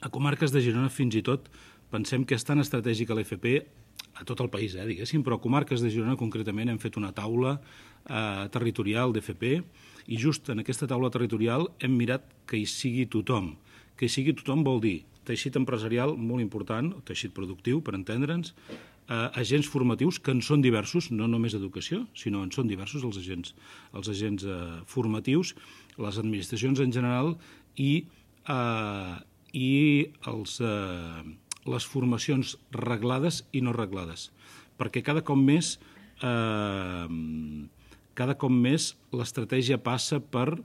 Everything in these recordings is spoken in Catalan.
A comarques de Girona, fins i tot, pensem que és tan estratègica l'FP a tot el país, diguéssim, però a comarques de Girona concretament hem fet una taula territorial d'FP i just en aquesta taula territorial hem mirat que hi sigui tothom. Que hi sigui tothom vol dir teixit empresarial molt important, teixit productiu, per entendre'ns, agents formatius que en són diversos, no només educació, sinó en són diversos els agents formatius, les administracions en general i les formacions reglades i no reglades, perquè cada cop més l'estratègia passa per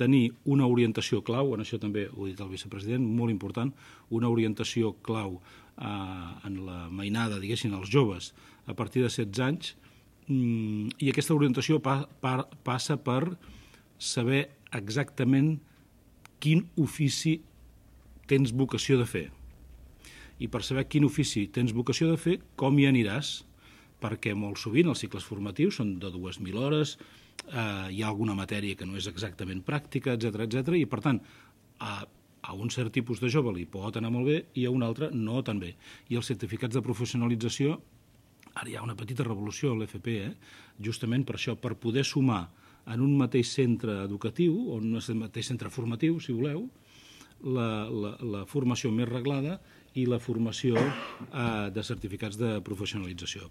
tenir una orientació clau, en això també ho ha dit el vicepresident, molt important, una orientació clau en la mainada, diguéssim, als joves a partir de 16 anys, i aquesta orientació passa per saber exactament quin ofici tens vocació de fer. I per saber quin ofici tens vocació de fer, com hi aniràs, perquè molt sovint els cicles formatius són de 2.000 hores, hi ha alguna matèria que no és exactament pràctica, etc. I per tant, a un cert tipus de jove li pot anar molt bé i a un altre no tan bé. I els certificats de professionalització, ara hi ha una petita revolució a l'FP, justament per això, per poder sumar en un mateix centre educatiu, o en un mateix centre formatiu, si voleu, la formació més reglada i la formació de certificats de professionalització.